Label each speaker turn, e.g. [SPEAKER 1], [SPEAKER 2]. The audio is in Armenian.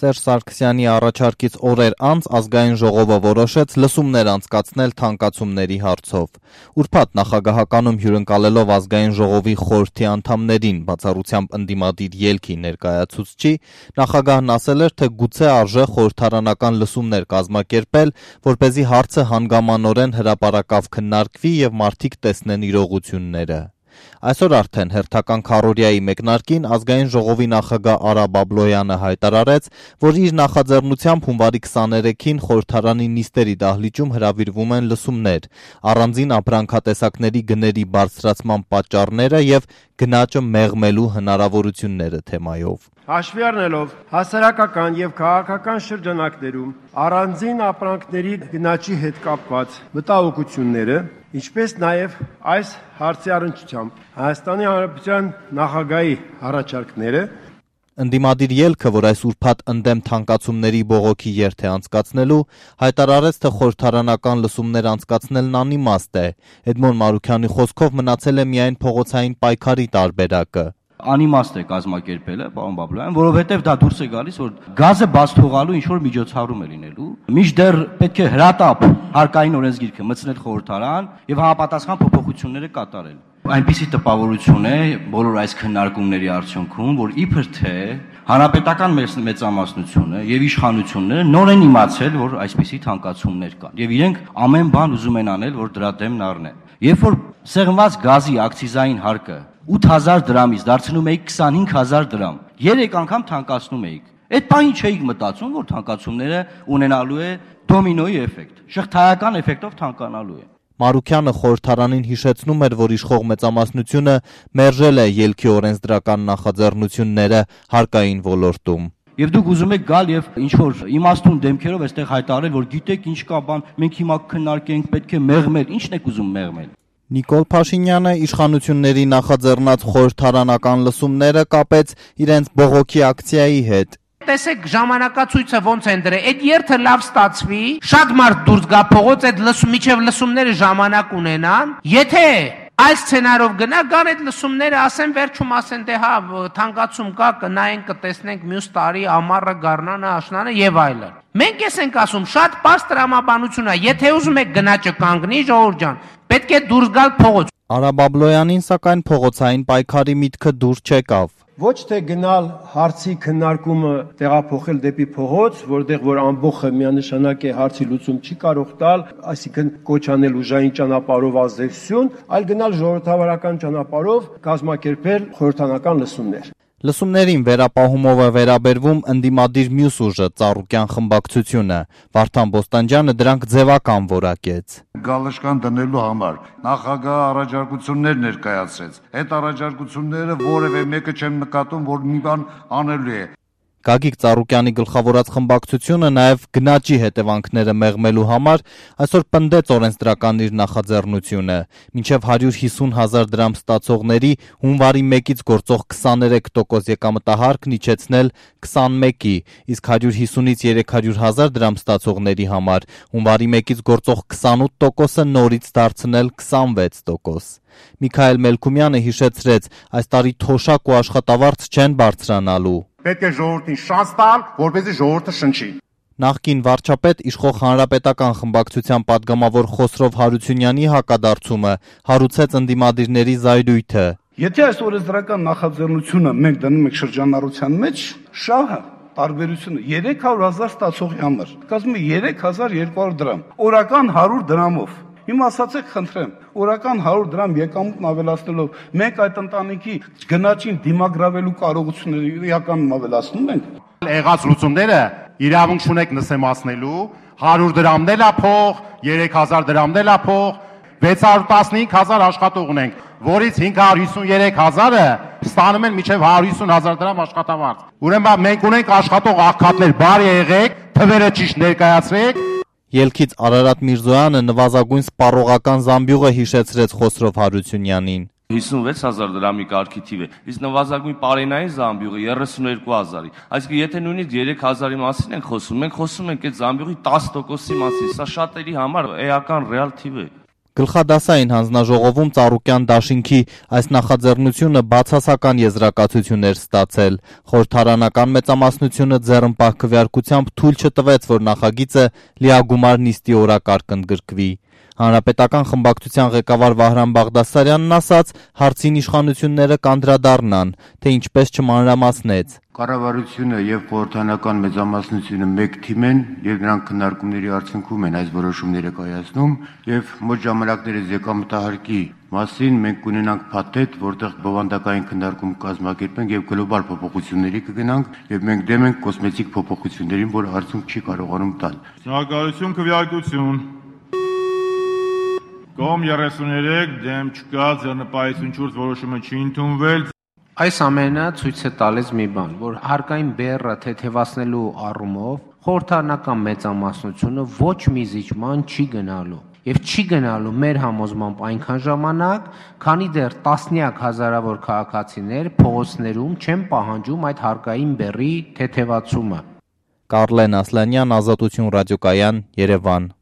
[SPEAKER 1] Սերժ Սարգսյանի առաջարկից օրեր անց ազգային ժողովը որոշեց լսումներ անցկացնել թանկացումների հարցով։ Ուրբաթ նախագահականում հյուրընկալելով ազգային ժողովի խորհրդի անդամներին, բացառությամբ ընդդիմադիր ելքի ներկայացուցչի, նախագահն ասել էր, թե գուցե արժե խորհրդարանական լսումներ կազմակերպել, որպեսզի հարցը հանգամանորեն հրապարակավ քննարկվի եւ մարդիկ տեսնեն իրողությունները։ Այսօր արդեն հերթական քառօրյայի մեկնարկին ազգային ժողովի նախագահ Արա Բաբլոյանը հայտարարեց, որ իր նախաձեռնությամբ հունվարի 23-ին խորհրդարանի նիստերի դահլիճում հրավիրվում են լսումներ, առանձին ապրանքատեսակների գների բարձրացման պատճառները եւ գնաճը մեղմելու հնարավորությունները թեմայով։
[SPEAKER 2] Հաշվի առնելով հասարակական եւ քաղաքական շրջանակներում առանձին ապրանքների գնաճի հետ կապված մտահոգությունները, ինչպես նաեւ այս հարցի առնչությամբ Հայաստանի Հանրապետության նախագահի առաջարկները,
[SPEAKER 1] Ընդդիմադիր ելքը, որ այս ուրբաթ ընդդեմ թանկացումների բողոքի երթ է անցկացնելու, հայտարարեց, թե խորհրդարանական լսումներ անցկացնելն անիմաստ է։ Էդմոն Մարուքյանի խոսքով մնացել է միայն փողոցային պայքարի տարբերակը։
[SPEAKER 3] Անիմաստ է կազմակերպելը, պարոն Բաբլոյան, որովհետև դա դուրս է գալիս, որ գազը բաց թողալու ինչ-որ միջոցառում է լինելու, մինչդեռ պետք է հրատապ հարկային օրենսգիրքը մտցնել խորհրդարան եւ համապատասխան փոփոխությունները կատարել։ Այնպիսի տպավորություն է բոլոր այս քննարկումների արդյունքում, որ իբր թե հանրապետական մեծամասնությունը եւ իշխանությունները նոր են իմացել, որ այսպիսի թանկացումներ կան եւ իրենք ամեն բան ուզում են անել, որ դրա դեմն առնեն։ Երբ որ սեղմված գազի ակցիզային հարկը 8000 դրամից դարձնում էիք 25000 դրամ, 3 անգամ թանկացնում էիք։ Այդ բանի չէիք մտածում, որ թանկացումները ունենալու է դոմինոյի էֆեկտ, շղթայական էֆեկտով թանկանալու է։
[SPEAKER 1] Մարուքյանը խորհրդարանին հիշեցնում էր, որ իշխող մեծամասնությունը մերժել է ելքի օրենսդրական նախաձեռնությունները հարկային ոլորտում։
[SPEAKER 3] Եվ դուք ուզում եք գալ եւ ինչ-որ իմաստուն դեմքերով այստեղ հայտարարել, որ գիտեք ինչ կա բան, մենք հիմա քննարկենք, պետք է մեղմել, ի՞նչն եք ուզում մեղմել։
[SPEAKER 1] Նիկոլ Փաշինյանը իշխանությունների նախաձեռնած խորհրդարանական լսումները կապեց իրենց բողոքի ակցիայի հետ։
[SPEAKER 4] Տեսեք ժամանակացույցը ոնց են դրել, այդ երթը լավ ստացվի, շատ մարդ դուրս գա փողոց, այդ միջև լսումները ժամանակ ունենան, եթե այս սցենարով գան այդ լսումները, ասեն վերջում ասեն, դե հա, թանկացում կա, կնայենք, կտեսնենք մյուս տարի ամառը, գարնանը, աշնանը եւ այլն։ Մենք ես ենք ասում, շատ պարզ տրամաբանություն է, եթե ուզում եք գնաճը կանգնի, ժողովուրդ ջան, պետք է դուրս գալ փողոց։
[SPEAKER 1] Արա Բաբլոյանին սակայն փողոցային պայքարի միտքը դուրս չեկավ։
[SPEAKER 2] Ոչ թե գնալ հարցի քննարկումը տեղափոխել դեպի փողոց, որտեղ որ ամբողջը միանշանակ է հարցի լուծում չի կարող տալ, այսինքն կոչ անել ուժային ճանապարհով ազդեցություն, այլ գնալ ժողովրդավարական ճանապարհով կազմակերպել խորհրդարանական լսումներ։
[SPEAKER 1] Լսումներին վերապահումով է վերաբերվում ընդդիմադիր մյուս ուժը Ծառուկյան խմբակցությունը։ Վարդան Բոստանջյանը դրանք ձևական որակեց։
[SPEAKER 5] Գալշկան դնելու համար նախագահը առաջարկություններ ներկայացրեց։ Այդ առաջարկությունները որևէ մեկը չեմ նկատում, որ մի բան անելու է։
[SPEAKER 1] Գագիկ Ծառուկյանի գլխավորած խմբակցությունը նաև գնաճի հետևանքները մեղմելու համար այսօր պնդեց օրենսդրական իր նախաձեռնությունը։ Մինչև 150,000 դրամ ստացողների հունվարի 1-ից գործող 23% եկամտահարկն իջեցնել 21-ի, իսկ 150-ից 300,000 դրամ ստացողների համար հունվարի 1-ից գործող 28%-ը նորից դարձնել 26%։ Միքայել Մելքումյանը հիշեցրեց, այս տարի թոշակ ու աշխատավարձ չեն բարձրանալու։
[SPEAKER 6] Պետք է ժողովրդին շանս տալ, որպեսզի ժողովուրդը շնչի։
[SPEAKER 1] Նախկին վարչապետ իշխող հանրապետական խմբակցության падգամավոր Խոսրով Հարությունյանի հակադարձումը հարուցեց ընդդիմադիրների զայրույթը։
[SPEAKER 7] Եթե այս օրենսդրական նախաձեռնությունը մենք դնում ենք շրջանառության մեջ, շահը տարբերությունը 300,000 ստացողի համար, կազմում է 3200 դրամ, օրական 100 դրամով։ Հիմա ասացեք, խնդրեմ, օրական 100 դրամ եկամուտն ավելացնելով մենք այդ ընտանիքի գնաճին դիմագրավելու կարողությունները իրականում ավելացնում ենք։
[SPEAKER 6] Եղած լուծումները իրավունք չունեք նսեմացնելու, 100 դրամն էլ է փող, 3000 դրամն էլ է փող, 615,000 աշխատող ունենք, որից 553,000-ը ստանում են մինչև 150,000 դրամ աշխատավարձ։ Ուրեմն մենք ունենք աշխատող աղքատներ, բարի եղեք, թվերը ճիշտ ներկայացրեք։
[SPEAKER 1] Ելքից Արարատ Միրզոյանը նվազագույն սպառողական զամբյուղը հիշեցրեց Խոսրով Հարությունյանին։
[SPEAKER 8] 56,000 դրամի կարգի թիվ է, իսկ նվազագույն պարենային զամբյուղը 32,000-ի։ Այսինքն եթե նույնիսկ 3,000-ի մասին ենք խոսում, մենք խոսում ենք այդ զամբյուղի 10%-ի մասին, սա շատերի համար էական ռեալ թիվ է։
[SPEAKER 1] Գլխադասային հանձնաժողովում Ծառուկյան դաշինքի այս նախաձեռնությունը բացասական եզրակացություն էր ստացել։ Խորհրդարանական մեծամասնությունը ձեռնպահ քվեարկությամբ թույլ չտվեց, որ նախագիծը լիագումար նիստի օրակարգ ընդգրկվի։ Հանրապետական խմբակցության ղեկավար Վահրամ Բաղդասարյանն ասաց, հարցին իշխանությունները կանդրադառնան, թե ինչպես չմանրամասնեց։
[SPEAKER 9] Կառավարությունը եւ խորհրդարանական մեծամասնությունը մեկ թիմ են եւ նրանք քննարկումների արդյունքում են այս որոշումները կայացնում եւ մոտ ժամանակներս եկամտահարկի մասին մենք կունենանք փաթեթ, որտեղ բովանդակային քննարկում կազմակերպենք եւ գլոբալ փոփոխությունների կգնանք եւ մենք դեմ ենք կոսմետիկ փոփոխություններին, որ արդյունք չի կարողանում տալ։
[SPEAKER 10] Շնորհակալություն, քվեարկություն։ Կողմ 33 դեմ չկա, ձեռնպահություն չորս որոշումը չի ընդունվել։
[SPEAKER 4] Այս ամենը ցույց է տալիս մի բան, որ հարկային բեռը թեթևացնելու առումով խորհրդարանական մեծամասնությունը ոչ մի զիջման չի գնալու։ Եվ չի գնալու մեր համոզմամբ այնքան ժամանակ, քանի դեռ տասնյակ հազարավոր քաղաքացիներ փողոցներում չեն պահանջում այդ հարկային բեռի թեթևացումը։
[SPEAKER 1] Կարլեն Ասլանյան, Ազատություն ռադիոկայան, Երևան։